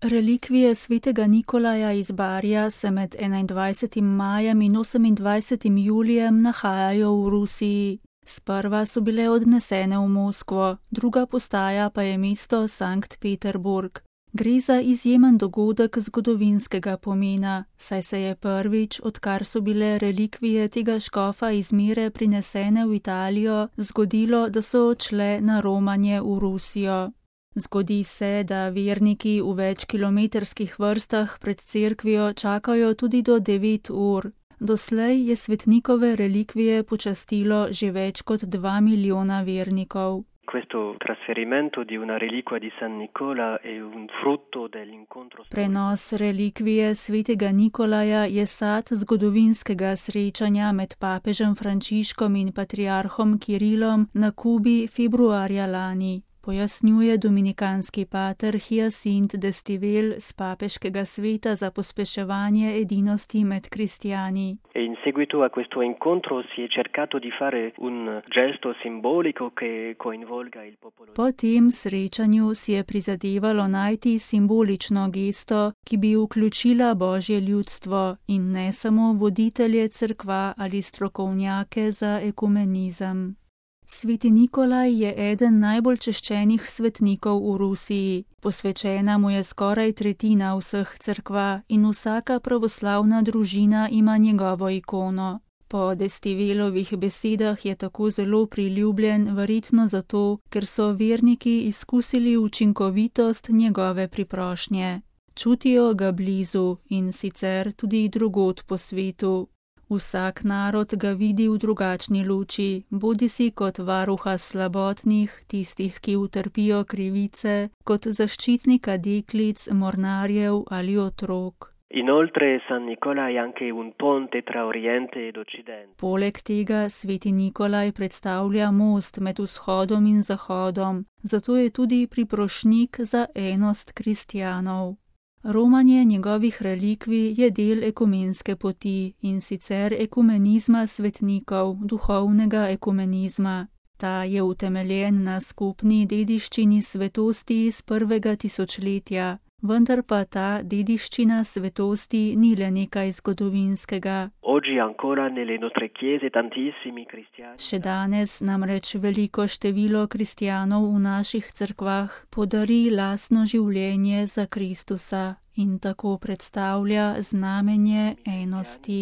Relikvije svetega Nikolaja iz Barija se med 21. majem in 28. julijem nahajajo v Rusiji. Sprva so bile odnesene v Moskvo, druga postaja pa je mesto Sankt Peterburg. Gre za izjemen dogodek zgodovinskega pomena, saj se je prvič, odkar so bile relikvije tega škofa iz Mire prinesene v Italijo, zgodilo, da so odšle na romanje v Rusijo. Zgodi se, da verniki v večkilometrskih vrstah pred cerkvijo čakajo tudi do 9 ur. Doslej je svetnikove relikvije počastilo že več kot 2 milijona vernikov. Prenos relikvije svetega Nikolaja je sad zgodovinskega srečanja med papežem Frančiškom in patriarhom Kirilom na Kubi februarja lani, pojasnjuje dominikanski pater Hyacinthe d'Estival z papeškega sveta za pospeševanje edinosti med kristjani. In seguito a questo incontro si è cercato di fare un gesto simbolico che coinvolga il popolo. Po tem srečanju si je prizadevalo najti simbolično gesto, ki bi vključila božje ljudstvo in ne samo voditelje cerkva ali strokovnjake za ekumenizem. Sveti Nikolaj je eden najbolj češčenih svetnikov v Rusiji. Posvečena mu je skoraj tretjina vseh cerkva in vsaka pravoslavna družina ima njegovo ikono. Po d'Estivalovih besedah je tako zelo priljubljen verjetno zato, ker so verniki izkusili učinkovitost njegove priprošnje. Čutijo ga blizu in sicer tudi drugod po svetu. Vsak narod ga vidi v drugačni luči, bodisi kot varuha slabotnih, tistih, ki utrpijo krivice, kot zaščitnika deklic, mornarjev ali otrok. Inoltre San Nicolai anche un ponte tra Oriente ed Occidente. Poleg tega sveti Nikolaj predstavlja most med vzhodom in zahodom, zato je tudi priprošnik za enost kristjanov. Romanje njegovih relikvij je del ekumenske poti in sicer ekumenizma svetnikov, duhovnega ekumenizma. Ta je utemeljen na skupni dediščini svetosti iz prvega tisočletja, vendar pa ta dediščina svetosti ni le nekaj zgodovinskega. Še danes namreč veliko število kristjanov v naših cerkvah podari lastno življenje za Kristusa in tako predstavlja znamenje enosti.